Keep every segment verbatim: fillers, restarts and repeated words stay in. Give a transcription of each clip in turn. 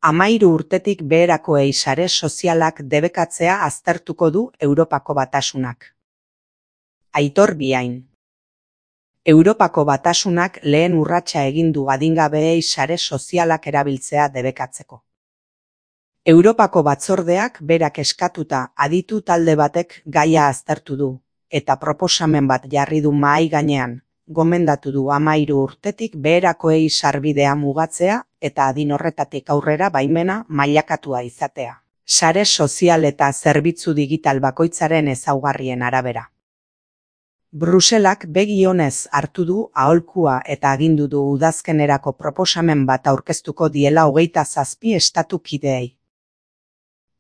Hamairu urtetik beherakoei sare sozialak debekatzea aztertuko du Europako Batasunak. Aitor Biain. Europako Batasunak lehen urratsa egin du adingabeei sare sozialak erabiltzea debekatzeko. Europako Batzordeak berak eskatuta aditu talde batek gaia aztertu du, eta proposamen bat jarri du mahai gainean, gomendatu du hamairu urtetik beherakoei sarbidea mugatzea eta adin horretatik aurrera baimena mailakatua izatea. Sare sozial eta zerbitzu digital bakoitzaren ezaugarrien arabera. Bruselak begi onez hartu du aholkua eta agindu du udazkenerako proposamen bat aurkeztuko diela hogeita zazpi estatu kideei.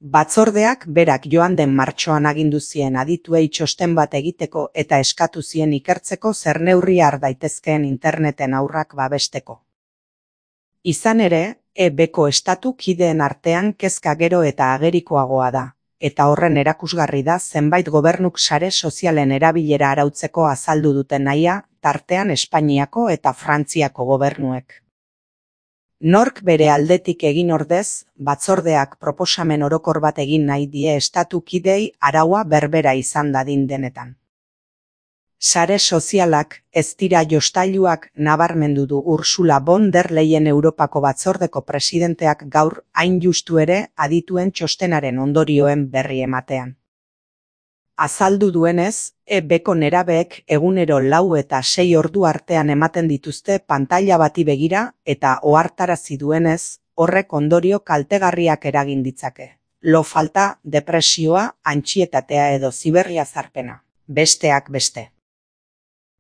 Batzordeak berak joan den martxoan agindu zien adituei txosten bat egiteko eta eskatu zien ikertzeko zer neurri har daitezkeen interneten haurrak babesteko. Izan ere, E Bko estatu kideen artean kezka gero eta agerikoagoa da, eta horren erakusgarri da zenbait gobernuk sare sozialen erabilera arautzeko azaldu duten nahia, tartean Espainiako eta Frantziako gobernuek. Nork bere aldetik egin ordez, batzordeak proposamen orokor bat egin nahi die estatu kideei araua berbera izan dadin denetan. Sare sozialak ez dira jostailuak nabarmendu du Ursula von der Leyen Europako Batzordeko presidenteak gaur hain justu ere adituen txostenaren ondorioen berri ematean. Azaldu duenez, E Bko nerabeek egunero lau eta sei ordu artean ematen dituzte pantaila bati begira eta ohartarazi duenez, horrek ondorio kaltegarriak eragin ditzake. Lo falta, depresioa, antsietatea edo ziberriazarpena, besteak beste.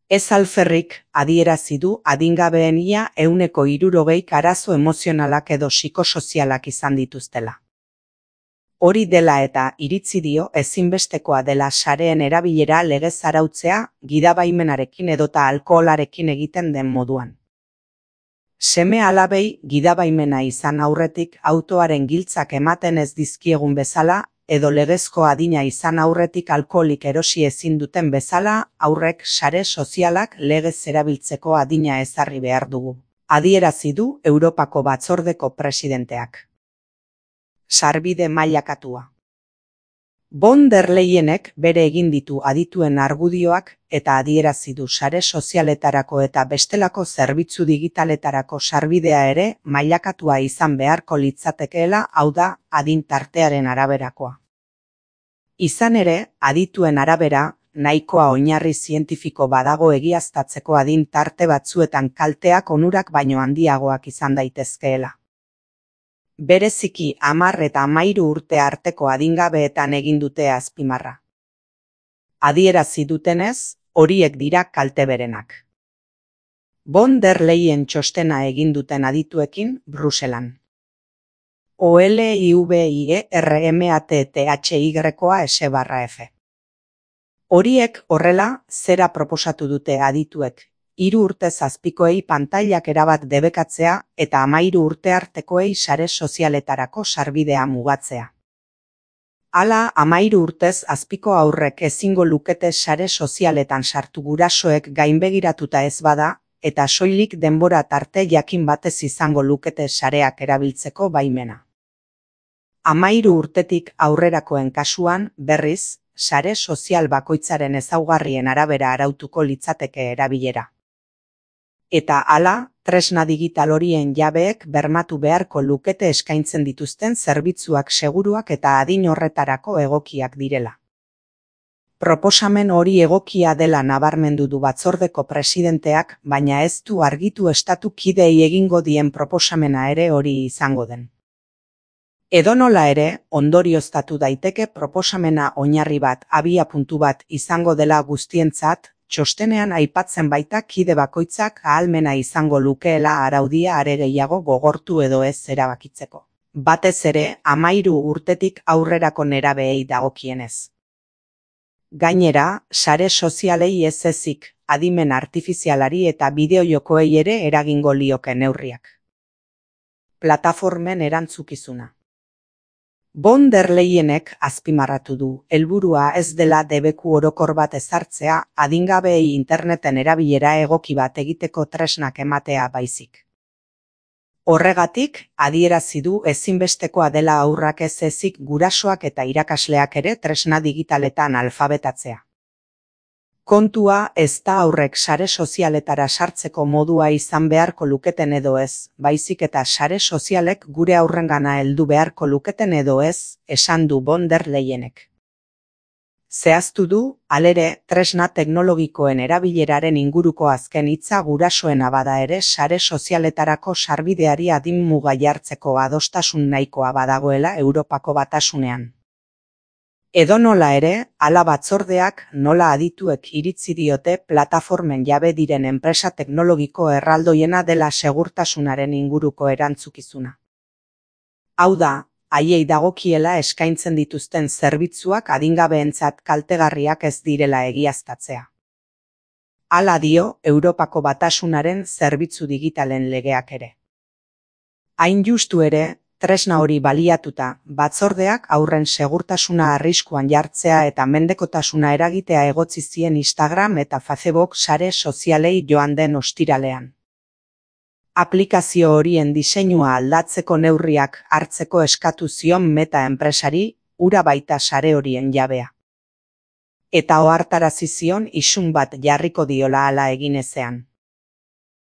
Ez alferrik adierazi du adingabeen ia ehuneko hirurogeik arazo emozionalak edo psikosozialak izan dituztela. Hori dela eta iritzi dio ezinbestekoa dela sareen erabilera legez arautzea gidabaimenarekin edota alkoholarekin egiten den moduan. Seme alabei gidabaimena izan aurretik autoaren giltzak ematen ez dizkiegun bezala, edo legezko adina izan aurretik alkoholik erosi ezin duten bezala, aurrek sare sozialak legez erabiltzeko adina ezarri behar dugu. Adierazi du Europako Batzordeko presidenteak. Sarbide mailakatua. Von der Leyenek bere egin ditu adituen argudioak eta adierazi du sare sozialetarako eta bestelako zerbitzu digitaletarako sarbidea ere mailakatua izan beharko litzatekeela, hau da, adin tartearen araberakoa. Izan ere, adituen arabera, nahikoa oinarri zientifiko badago egiaztatzeko adin tarte batzuetan kalteak onurak baino handiagoak izan daitezkeela. Bereziki hamar eta hamairu urte arteko adingabeetan egin dute azpimarra. Adierazi dutenez, horiek dira kalte berenak. Von der Leyen txostena egin duten adituekin Bruselan. O L I V I E R M A T T H Y S barra F. Horiek horrela zera proposatu dute adituek, hiru urte zazpikoei pantailak erabat debekatzea eta hamairu urte artekoei sare sozialetarako sarbidea mugatzea. Hala, hamairu urtez azpiko aurrek ezingo lukete sare sozialetan sartu gurasoek gainbegiratuta ez bada, eta soilik denbora tarte jakin batez izango lukete sareak erabiltzeko baimena. Hamairu urtetik aurrerakoen kasuan, berriz, sare sozial bakoitzaren ezaugarrien arabera arautuko litzateke erabilera. Eta hala, tresna digital horien jabeek bermatu beharko lukete eskaintzen dituzten zerbitzuak seguruak eta adin horretarako egokiak direla. Proposamen hori egokia dela nabarmendu du batzordeko presidenteak, baina ez du argitu estatu kideei egingo dien proposamena ere hori izango den. Edonola ere, ondorioztatu daiteke proposamena oinarri bat, abiapuntu bat izango dela guztientzat, txostenean aipatzen baita kide bakoitzak ahalmena izango lukeela araudia are gehiago gogortu edo ez erabakitzeko. Batez ere, hamairu urtetik aurrerako nerabeei dagokienez. Gainera, sare sozialei ez ezik, adimen artifizialari eta bideojokoei ere eragingo lioke neurriak. Plataformen erantzukizuna. Von der Leyenek azpimarratu du, helburua ez dela debeku orokor bat ezartzea adingabeei interneten erabilera egoki bat egiteko tresnak ematea baizik. Horregatik, adierazi du ezinbestekoa dela haurrak ez ezik gurasoak eta irakasleak ere tresna digitaletan alfabetatzea. Kontua ez da haurrek sare sozialetara sartzeko modua izan beharko luketen edo ez, baizik eta sare sozialek gure haurrengana heldu beharko luketen edo ez, esan du von der Leyenek. Zehaztu du, halere, tresna teknologikoen erabileraren inguruko azken hitza gurasoena bada ere sare sozialetarako sarbideari adin muga jartzeko adostasun nahikoa badagoela Europako Batasunean. Edonola ere, hala batzordeak nola adituek iritzi diote plataformen jabe diren enpresa teknologiko erraldoiena dela segurtasunaren inguruko erantzukizuna. Hau da, haiei dagokiela eskaintzen dituzten zerbitzuak adingabeentzat kaltegarriak ez direla egiaztatzea. Hala dio Europako Batasunaren zerbitzu digitalen legeak ere. Hain justu ere, tresna hori baliatuta, batzordeak haurren segurtasuna arriskuan jartzea eta mendekotasuna eragitea egotzi zien Instagram eta Facebook sare sozialei joan den ostiralean. Aplikazio horien diseinua aldatzeko neurriak hartzeko eskatu zion Meta enpresari, hura baita sare horien jabea. Eta ohartarazi zion isun bat jarriko diola hala egin ezean.